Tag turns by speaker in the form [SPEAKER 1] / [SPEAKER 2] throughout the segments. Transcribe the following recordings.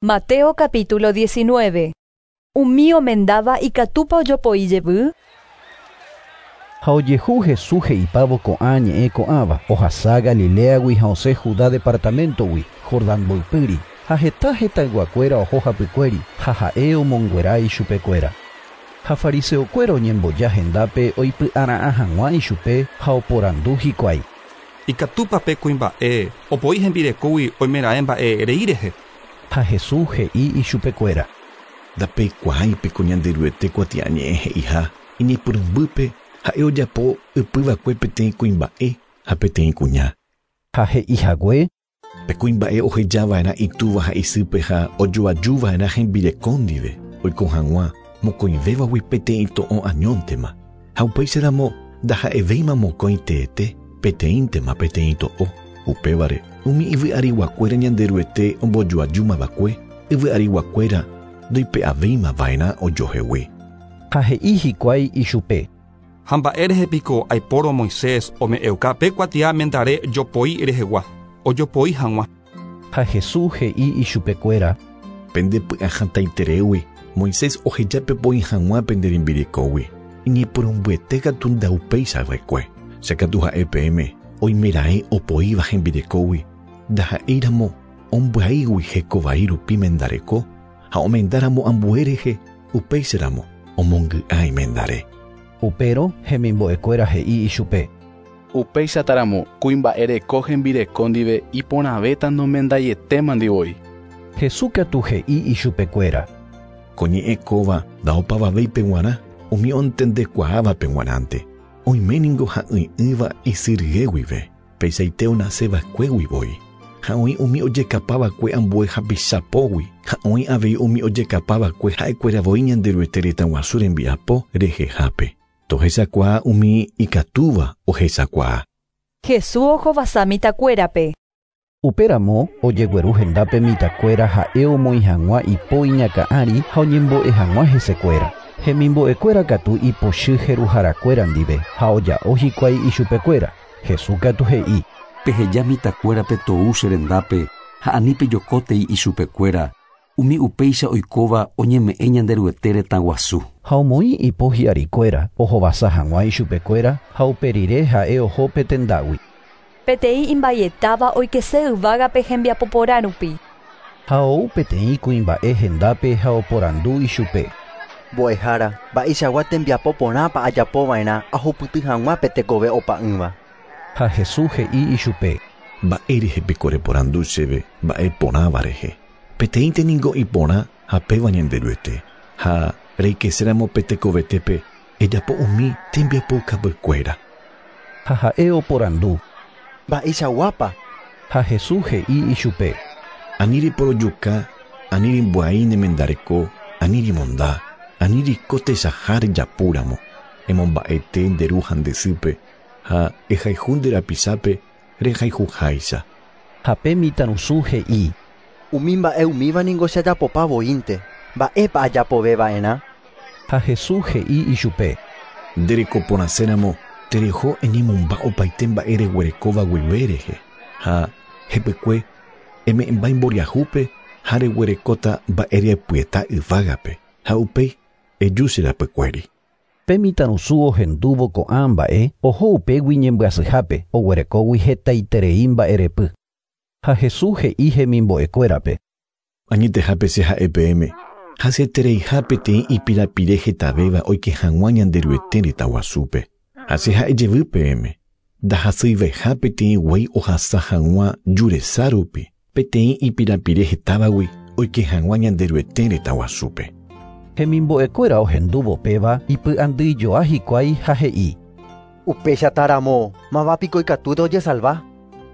[SPEAKER 1] Mateo capítulo 19. Umi omendáva ikatúpa ojopoi jevy?
[SPEAKER 2] Ha ojehu Jesús he'ipávo ko'ã ñe'ẽ ko'ãva, ohasa Galileagui ha osẽ Judá departamentogui, Jordán mboypýri, ha heta hetãyguakuéra oho hapykuéri, ha ha'e omonguera ichupekuéra. Ha fariseokuéra oñemboja hendápe oipy'ara'ã hag̃ua ichupe ha oporandu hikuái.
[SPEAKER 3] Ikatúpa pe kuimba'e opoi hembirekógui oimeraẽ mba'e rei rehe.
[SPEAKER 2] Ha Jesús he'i ichupekuéra.
[SPEAKER 4] Ndapeikuaáipeko Ñanderuete kuatiañe'ẽ he'iha iñepyrũmbýpe ha'e ojapo ypyva'ekue peteĩ kuimba'e ha peteĩ kuña.
[SPEAKER 2] Ha he'ihague.
[SPEAKER 4] Pe kuimba'e ohejava'erã itúva ha isýpe ha ojoajuva'erã hembireko ndive oiko hag̃ua mokõivévagui peteĩ to'o añóntema ha upéicharamo ndaha'evéima mokõi teete peteĩntema peteĩ to'o. Upévare umi yvy'ariguakuéra Ñanderuete ombojoajúmava'ekue yvy'ariguakuéra ndoipe'avéimava'erã ojohegui.
[SPEAKER 2] Ha he'i hikuái ichupe.
[SPEAKER 3] Ha mba'e rehe piko aipórõ Moisés ome'ẽuka pe kuatia mendare jopoi rehegua, ojopoi hag̃ua.
[SPEAKER 2] Ha Jesús he'i ichupekuéra.
[SPEAKER 4] Pende py'ahatãitereígui Moisés oheja pepoi hag̃ua pende rembirekógui. Iñepyrũmbyete katu ndaupéichava'ekue. Che katu ha'e peẽme oimeraẽ opoíva hembirekógui ndaha'éiramo ombyaígui hekovai rupi mendareko ha omendáramo ambue rehe upéicharamo omongy'a imendare.
[SPEAKER 2] Upérõ hemimbo'ekuéra he'i ichupe.
[SPEAKER 5] Upéichataramo kuimba'e reko hembireko ndive iporãvéta nomendaietémandi voi.
[SPEAKER 2] Jesús katu he'i ichupekuéra.
[SPEAKER 4] Ko ñe'ẽ kóva ndaopavavéipe g̃uarã umi ontendekuaávape g̃uarãnte. Oiméningo ha'ỹi'ỹva isy rye guive, peichaite onaseva'ekuégui voi. Ha oĩ umi ojekapava'ekue ambue hapichapógui, ha oĩ avei umi ojekapava'ekue ha'ekuéra voi Ñanderuete retãguasu rembiapo rehehápe. Tohechakuaa umi ikatúva ohechakuaa.
[SPEAKER 1] Jesús ohovasa mitãkuérape.
[SPEAKER 2] Upéramo ojegueru hendápe mitãkuéra ha'e omoĩ hag̃ua ipo iñakã'ári ha oñembo'e hag̃ua hesekuéra. Hemimbo'ekuéra katu ipochy jeruharakuéra ndive ha oja'o hikuái ichupekuéra. Jesús katu he'i.
[SPEAKER 6] Peheja mitãkuérape tou che rendápe ha ani pejokótei ichupekuéra umi upéicha oikóva oñeme'ẽ Ñanderuete retãguasu.
[SPEAKER 2] Ha omoĩ ipo hi'arikuéra ohovasa hag̃ua ichupekuéra ha upe rire ha'e oho pe tendágui.
[SPEAKER 1] Peteĩ imbaietáva oikese yvágape hembiapo porã rupi.
[SPEAKER 2] Ha ou peteĩ kuimba'e hendápe ha oporandu ichupe.
[SPEAKER 7] Mbo'ehára, mba'eichagua tembiapo porãpa ajapova'erã ahupyty hag̃ua pe tekove opa'ỹva.
[SPEAKER 2] Ha Jesús he'i ichupe.
[SPEAKER 4] Mba'e rehe piko reporandu chéve mba'e porãva rehe. Peteĩnte ningo iporã ha péva Ñanderuete. Ha reikeséramo pe tekovetépe ejapo umi tembiapoukapykuéra.
[SPEAKER 2] Ha ha'e oporandu.
[SPEAKER 7] Mba'eichaguápa?
[SPEAKER 2] Ha Jesús he'i ichupe.
[SPEAKER 4] Ani reporojuka, ani rembyai ne mendareko, ani remonda, ani reiko techaha rejapúramo, emomba'ete nde ru ha nde sýpe, ha ehayhu nde rapichápe rehayhuháicha.
[SPEAKER 2] Ha pe mitãrusu he'i.
[SPEAKER 7] Umi mba'e umíva ningo che ajapopa voínte, mba'épa ajapoveva'erã?
[SPEAKER 2] Ha Jesús he'i ichupe.
[SPEAKER 4] Nde rekoporãséramo tereho eñemomba opaite mba'e reguerekóva guive rehe, ha hepykue eme'ẽmba imboriahúpe ha reguerekóta mba'erepyeta yvágape, ha upéi eju che rapykuéri.
[SPEAKER 2] Pe mitãrusu ohendúvo ko'ã mba'e oho upégui ñembyasyhápe oguerekógui hetaiterei mba'erepy. Ha Jesús he'i hemimbo'ekuérape.
[SPEAKER 4] Añetehápe che ha'e peẽme, hasyetereiha peteĩ ipirapire hetavéva oike hag̃ua Ñanderuete retãguasúpe. Ha che ha'e jevy peẽme, ndahasyiveha peteĩ guéi ohasa hag̃ua juresa rupi, peteĩ ipirapire hetávagui oike hag̃ua Ñanderuete retãguasúpe.
[SPEAKER 2] Hemimbo'ekuéra ohendúvo péva ipy'andyijoa hikuái ha he'i.
[SPEAKER 7] Upéichataramo, mávapiko ikatúta ojesalva?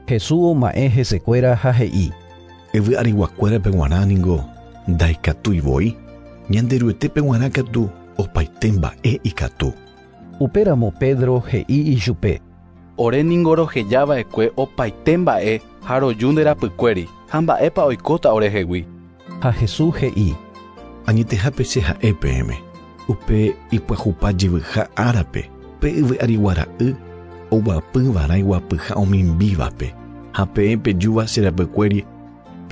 [SPEAKER 2] Jesús oma'ẽ hesekuéra ha he'i.
[SPEAKER 4] Yvy'ariguakuérape g̃uarã ningo ndaikatúi voi, Ñanderuetépe g̃uarã katu opaite mba'e ikatu.
[SPEAKER 2] Upéramo Pedro he'i ichupe.
[SPEAKER 5] Ore ningo rohejava'ekue opaite mba'e ha roju nde rapykuéri ha mba'épa oikóta orehegui.
[SPEAKER 2] Ha Jesús he'i.
[SPEAKER 4] Añetehápe che ha'e peẽme, upe ipyahupa jevyha árape, pe yvy'arigua ra'y oguapyva'erã iguapyha omimbívape, ha peẽ pejúva che rapykuéri.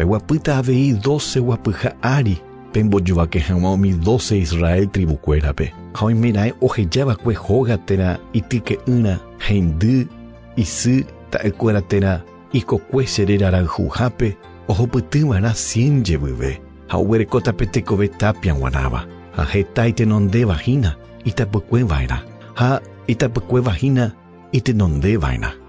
[SPEAKER 4] Peguapýta avei 12 guapyha ári pembojovake hag̃ua umi 12 Israel tribukuérape. Ha oimeraẽ ohejava'ekue hóga térã ityke'ỹra, heindy, isy, ta'ykuéra térã ikokue che rerarayhuhápe ohupytyva'erã 100 jevyve ha oguerekóta pe tekove tapia g̃uarãva. Ha heta itenondevahína itapykueva'erã ha itapykuevahína itenondeva'erã.